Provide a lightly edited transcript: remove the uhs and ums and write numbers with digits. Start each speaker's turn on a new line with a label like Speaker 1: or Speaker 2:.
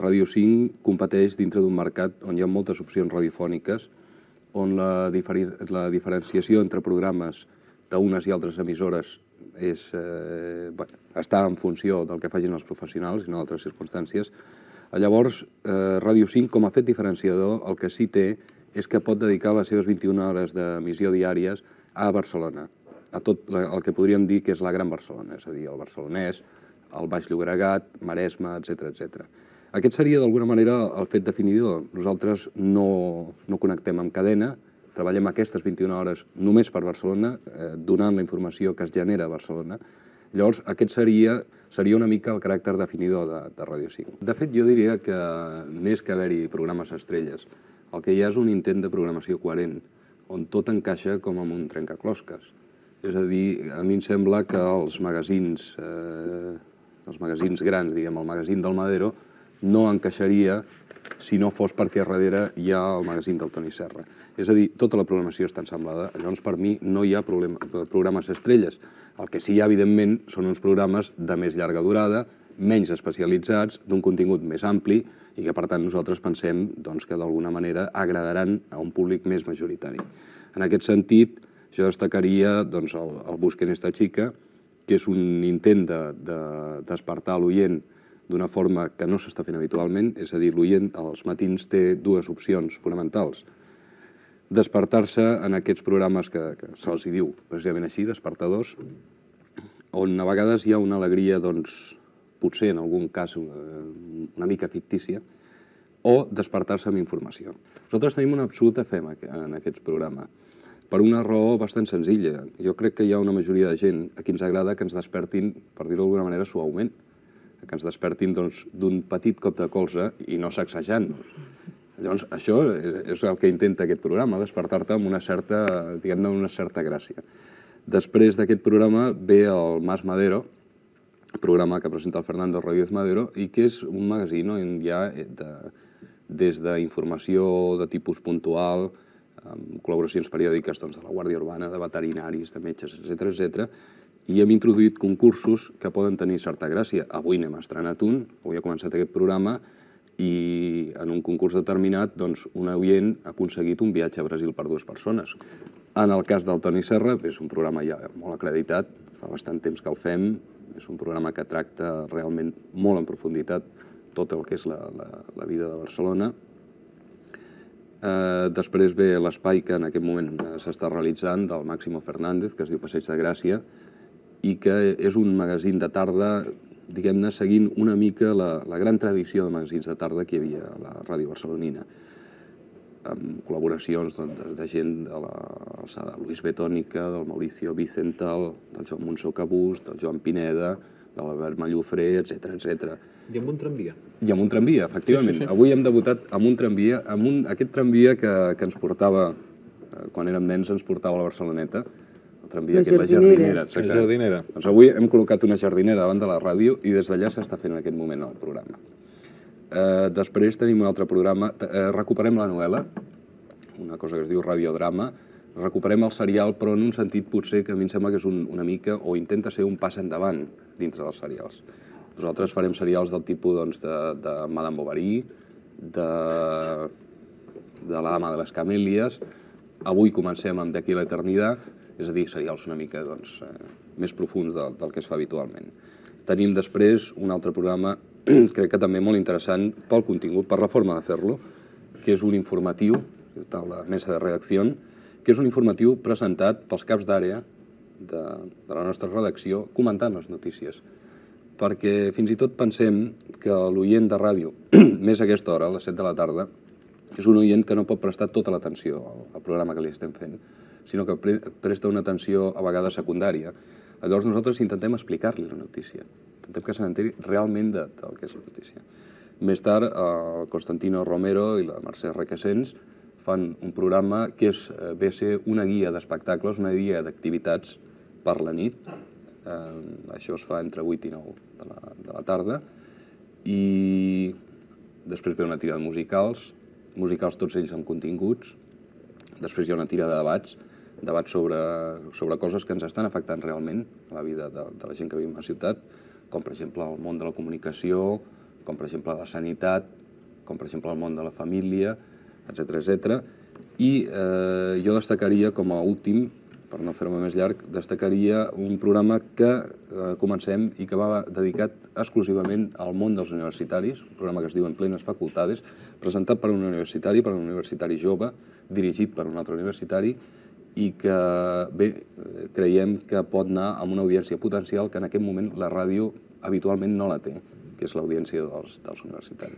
Speaker 1: Ràdio 5 competeix dintre d'un mercat on hi ha moltes opcions radiofòniques, on la diferenciació entre programes d'unes i altres emissores està en funció del que facin els professionals i no d'altres circumstàncies. Llavors, Ràdio 5, com a fet diferenciador, el que sí té és que pot dedicar les seves 21 hores d'emissió diàries a Barcelona, a tot el que podríem dir que és la Gran Barcelona, és a dir, el Barcelonès, el Baix Llobregat, Maresme, etc. Aquest seria, d'alguna manera, el fet definidor. Nosaltres no connectem amb cadena, treballem aquestes 21 hores només per Barcelona, donant la informació que es genera a Barcelona. Llavors, aquest seria una mica el caràcter definidor de Ràdio 5. De fet, jo diria que més que haver-hi programes estrelles, el que hi ha és un intent de programació coherent, on tot encaixa com en un trencaclosques. És a dir, a mi em sembla que els magazins grans, diguem, el magazín del Madero, no encaixaria si no fos perquè darrere hi ha el magazín del Toni Serra. És a dir, tota la programació està ensemblada, llavors per mi no hi ha programes estrelles. El que sí hi ha, evidentment, són uns programes de més llarga durada, menys especialitzats, d'un contingut més ampli i que, per tant, nosaltres pensem que d'alguna manera agradaran a un públic més majoritari. En aquest sentit, jo destacaria el Busquen esta chica, que és un intent de despertar l'oient d'una forma que no s'està fent habitualment, és a dir, l'oient als matins té dues opcions fonamentals. Despertar-se en aquests programes que se'ls diu precisament així, despertadors, on a vegades hi ha una alegria, potser en algun cas una mica fictícia, o despertar-se amb informació. Nosaltres tenim una absoluta fe en aquest programa, per una raó bastant senzilla. Jo crec que hi ha una majoria de gent a qui ens agrada que ens despertin, per dir-ho d'alguna manera, suaument, que ens despertin d'un petit cop de colze i no sacsejant-nos. Llavors, això és el que intenta aquest programa, despertar-te amb una certa, diguem-ne, una certa gràcia. Després d'aquest programa ve el Mas Madero, programa que presenta el Fernando Rodríguez Madero, i que és un magazín on hi ha des d'informació de tipus puntual, amb col·laboracions periòdiques de la Guàrdia Urbana, de veterinaris, de metges, etc. I hem introduït concursos que poden tenir certa gràcia. Avui n'hem estrenat un, avui ha començat aquest programa, i en un concurs determinat un oient ha aconseguit un viatge a Brasil per 2 persones. En el cas del Toni Serra, és un programa ja molt acreditat, fa bastant temps que el fem, és un programa que tracta realment molt en profunditat tot el que és la vida de Barcelona. Després ve l'espai que en aquest moment s'està realitzant del Máximo Fernández, que es diu Passeig de Gràcia, i que és un magazín de tarda, diguem-ne, seguint una mica la gran tradició de magazins de tarda que hi havia a la ràdio barcelonina, amb col·laboracions de gent de Luis Betònica, del Mauricio Vicental, del Joan Monsó Cabús, del Joan Pineda, de l'Albert Mallofré, etc.
Speaker 2: I amb un tramvia.
Speaker 1: I amb un tramvia, efectivament. Avui hem debutat amb un tramvia, aquest tramvia que ens portava, quan érem nens, ens portava a la Barceloneta, el tramvia que és la jardinera.
Speaker 2: La jardinera.
Speaker 1: Doncs avui hem col·locat una jardinera davant de la ràdio i des d'allà s'està fent en aquest moment el programa. Després tenim un altre programa, recuperem la novel·la, una cosa que es diu radiodrama, recuperem el serial, però en un sentit potser que a mi em sembla que és una mica, o intenta ser un pas endavant dintre dels serials. Nosaltres farem serials del tipus de Madame Bovary, de l'Ama de les Camèlies, avui comencem amb D'aquí a l'eternitat, és a dir, serials una mica més profuns del que es fa habitualment. Tenim després un altre programa, crec que també molt interessant pel contingut, per la forma de fer-lo, que és un informatiu, de la mesa de redacció, que és un informatiu presentat pels caps d'àrea de la nostra redacció comentant les notícies. Perquè fins i tot pensem que l'oient de ràdio, més a aquesta hora, a les 7 de la tarda, és un oient que no pot prestar tota l'atenció al programa que li estem fent, sinó que presta una atenció a vegades secundària. Llavors nosaltres intentem explicar-li la notícia, intentem que se n'enteri realment del que és la notícia. Més tard, el Constantino Romero i la Mercè Requesens fan un programa que ve a ser una guia d'espectacles, una guia d'activitats per la nit. Això es fa entre 8 i 9 de la tarda. I després ve una tira de musicals tots ells amb continguts. Després hi ha una tira de debats sobre coses que ens estan afectant realment a la vida de la gent que viu a la ciutat, com per exemple el món de la comunicació, com per exemple la sanitat, com per exemple el món de la família, etc. I jo destacaria com a últim, per no fer-me més llarg, destacaria un programa que comencem i que va dedicat exclusivament al món dels universitaris, un programa que es diu En plenes facultades, presentat per un universitari jove, dirigit per un altre universitari, i que, bé, creiem que pot anar amb una audiència potencial que en aquest moment la ràdio habitualment no la té, que és l'audiència dels universitaris.